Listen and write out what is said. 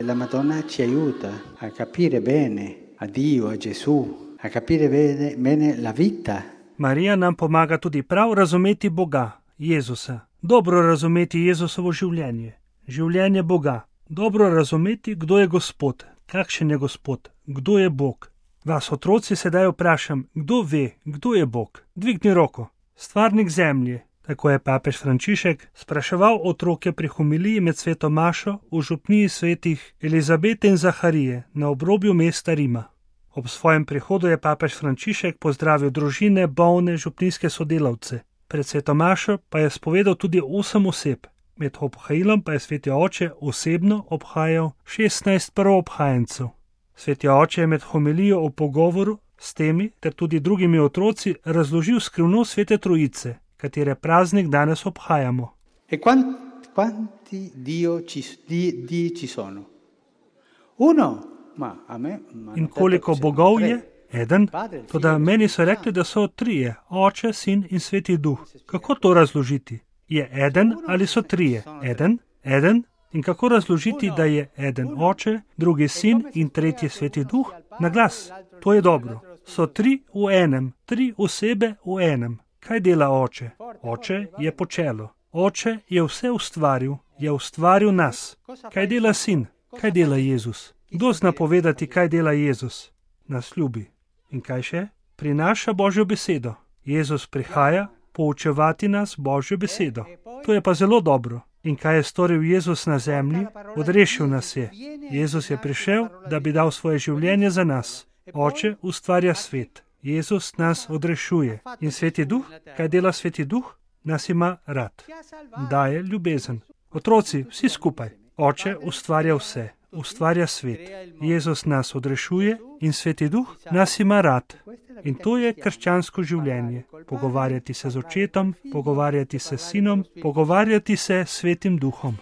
La Madonna ci aiuta a capire bene a Dio, a Gesù, a capire bene la vita. Marija nam pomaga tudi prav razumeti Boga, Jezusa. Dobro razumeti Jezusovo življenje, življenje Boga. Dobro razumeti, kdo je Gospod, kakšen je Gospod, kdo je Bog. Vas otroci sedaj vprašam, kdo ve, kdo je Bog? Dvigni roko. Stvarnik zemlje. Tako je papež Frančišek spraševal otroke pri homiliji med sveto mašo v župniji svetih Elizabete in Zaharije na obrobju mesta Rima. Ob svojem prihodu je papež Frančišek pozdravil družine, bolne, župnijske sodelavce. Pred sveto mašo pa je spovedal tudi 8 oseb. Med obhajilom pa je sveti oče osebno obhajal 16 prvoobhajencev. Sveti oče je med homilijo v pogovoru s temi ter tudi drugimi otroci razložil skrivnost svete trojice, katere praznik danes obhajamo. E quanti Dii ci sono? Uno, ma a me... In koliko bogov je? Eden. Toda meni so rekli, da so 3, Oče, Sin in Sveti Duh. Kako to razložiti? Je eden ali so 3? Eden. In kako razložiti, da je eden Oče, drugi Sin in tretji Sveti Duh? Na glas. To je dobro. So 3 v enem, 3 osebe v enem. Kaj dela Oče? Oče je počelo. Oče je vse ustvaril, je ustvaril nas. Kaj dela Sin? Kaj dela Jezus? Kdo zna povedati, kaj dela Jezus? Nas ljubi. In kaj še? Prinaša Božjo besedo. Jezus prihaja poučevati nas Božjo besedo. To je pa zelo dobro. In kaj je storil Jezus na zemlji? Odrešil nas je. Jezus je prišel, da bi dal svoje življenje za nas. Oče ustvarja svet. Jezus nas odrešuje. In Sveti Duh? Kaj dela Sveti Duh? Nas ima rad. Daje ljubezen. Otroci, vsi skupaj. Oče ustvarja vse. Ustvarja svet. Jezus nas odrešuje in Sveti Duh nas ima rad. In to je krščansko življenje. Pogovarjati se z očetom, pogovarjati se s Sinom, pogovarjati se s Svetim Duhom.